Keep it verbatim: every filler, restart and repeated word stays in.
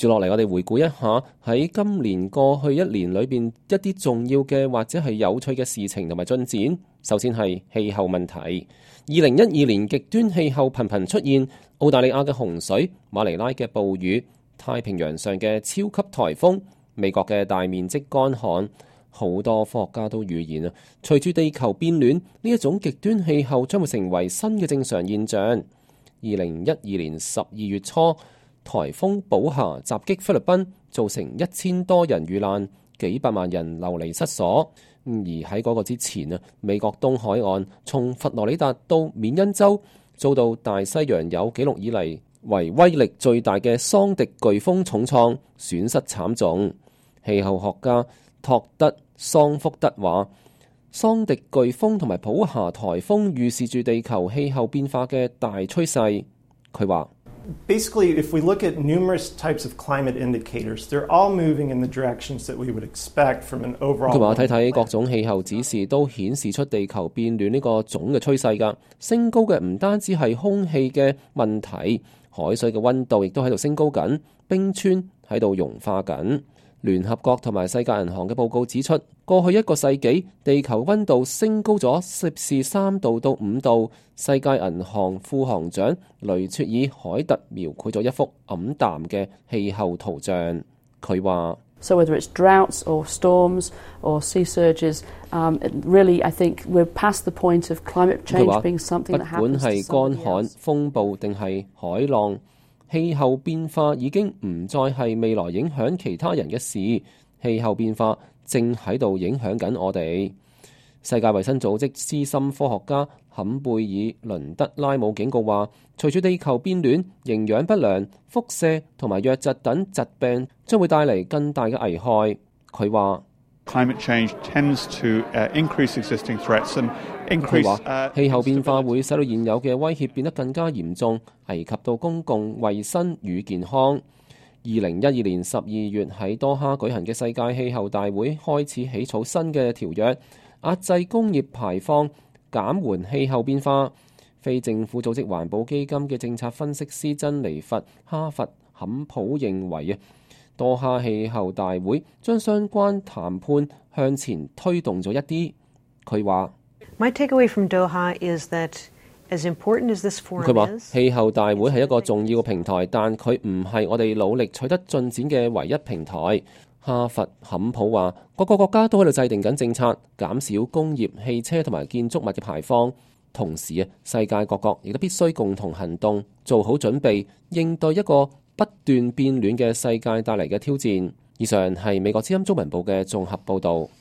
接住落嚟，我哋回顧一下喺今年過去一年裏邊一啲重要嘅或者係有趣嘅事情同埋進展。首先係氣候問題。二零一二年極端氣候頻頻出現，澳大利亞嘅洪水、馬尼拉嘅暴雨、太平洋上嘅超級颱風、美國嘅大面積乾旱，好多科學家都預言啊，隨住地球變暖，呢一種極端氣候將會成為新嘅正常現象。二零一二年十二月初，颱風寶霞襲擊菲律賓，造成一千多人遇難，幾百萬人流離失所。而喺嗰個之前啊，美國東海岸從佛羅里達到緬因州，遭到大西洋有紀錄以嚟為威力最大嘅桑迪颶風重創，損失慘重。氣候學家托德桑福德話，桑迪颶風同埋寶霞颱風預示住地球氣候變化嘅大趨勢。佢話Basically, if we look at numerous types of climate indicators, they're all moving in the directions that we would expect from an overall. 佢話睇睇各種氣候指示都顯示出地球變暖呢個總嘅趨勢㗎。升高嘅唔單止係空氣嘅問題，海水嘅溫度亦都喺度升高緊，冰川喺度融化緊。聯合國同埋世界銀行嘅報告指出，過去一個世紀地球溫度升高咗攝氏三度到五度。世界銀行副行長雷切爾海特描繪咗一幅黯淡嘅氣候圖像。佢話：So whether it's droughts or storms or sea surges, um, really I think we're past the point of climate change being something that happens to somebody else. 不管係乾旱、風暴定係海浪，氣候變化已經唔再係未來影響其他人嘅事，氣候變化正喺度影響緊我哋。世界衛生組織資深科學家坎貝爾倫德拉姆警告話，隨住地球變暖，營養不良、輻射同埋瘧疾等疾病將會帶嚟更大嘅危害。佢話：Climate change tends to increase existing threats and increase。佢話氣候變化會使到現有嘅威脅變得更加嚴重，危及到公共衛生與健康。二零一二年十二月喺多哈舉行嘅世界氣候大會開始起草新嘅條約，壓制工業排放，減緩氣候變化。非政府組織環保基金嘅政策分析師珍妮佛·哈佛坎普認為啊，多哈氣候大會將相關談判向前推動咗一啲。佢話：My takeaway from Doha is that as important as this forum is，佢話氣候大會係一個重要嘅平台，但佢唔係我哋努力取得進展嘅唯一平台。哈佛坎普話，各個國家都喺度制定緊政策，減少工業、汽車同埋建築物嘅排放。同時啊，世界各國亦都必須共同行動，做好準備，應對一個不斷變暖嘅世界帶嚟嘅挑戰。以上係美國之音中文部嘅綜合報導。